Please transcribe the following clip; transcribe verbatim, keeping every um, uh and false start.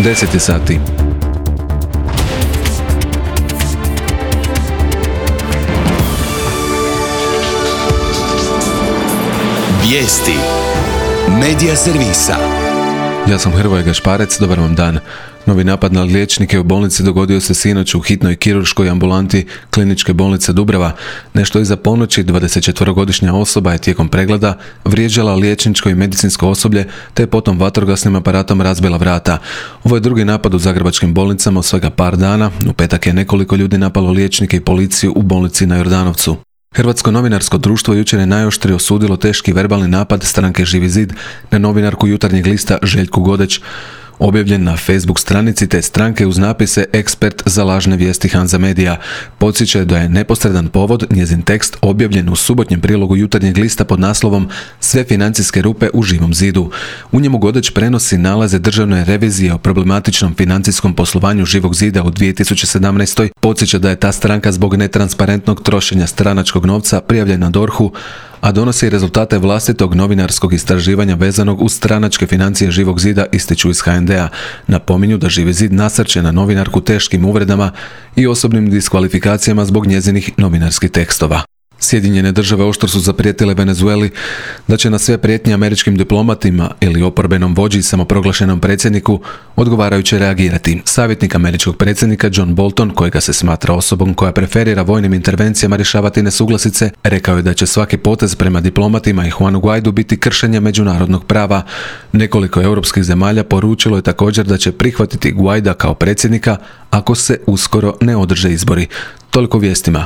deset je sati. Vijesti Medija servisa. Ja sam Hrvoje Gašparec, dobar vam dan. Novi napad na liječnike u bolnici dogodio se sinoć u hitnoj kirurškoj ambulanti Kliničke bolnice Dubrava. Nešto iza ponoći dvadesetčetverogodišnja osoba je tijekom pregleda vrijeđala liječničko i medicinsko osoblje te je potom vatrogasnim aparatom razbila vrata. Ovo je drugi napad u zagrebačkim bolnicama u svega par dana. U petak je nekoliko ljudi napalo liječnike i policiju u bolnici na Jordanovcu. Hrvatsko novinarsko društvo jučer je najoštrije osudilo teški verbalni napad stranke Živi zid na novinarku Jutarnjeg lista Željku Godeć, objavljen na Facebook stranici te stranke uz napise "Ekspert za lažne vijesti Hanza Media". Podsjeća da je neposredan povod njezin tekst objavljen u subotnjem prilogu Jutarnjeg lista pod naslovom "Sve financijske rupe u Živom zidu". U njemu Godeć prenosi nalaze državne revizije o problematičnom financijskom poslovanju Živog zida u dvije tisuće sedamnaestoj. Podsjeća da je ta stranka zbog netransparentnog trošenja stranačkog novca prijavljena D O R H-u, a donosi rezultate vlastitog novinarskog istraživanja vezanog uz stranačke financije Živog zida, ističu iz H N D-a. Napominju da Živi zid nasrće na novinarku teškim uvredama i osobnim diskvalifikacijama zbog njezinih novinarskih tekstova. Sjedinjene države oštro su zaprijetile Venezueli da će na sve prijetnje američkim diplomatima ili oporbenom vođi i samoproglašenom predsjedniku odgovarajuće reagirati. Savjetnik američkog predsjednika John Bolton, kojega se smatra osobom koja preferira vojnim intervencijama rješavati nesuglasice, rekao je da će svaki potez prema diplomatima i Juanu Guaidu biti kršenje međunarodnog prava. Nekoliko europskih zemalja poručilo je također da će prihvatiti Guaida kao predsjednika ako se uskoro ne održe izbori. Toliko vijestima.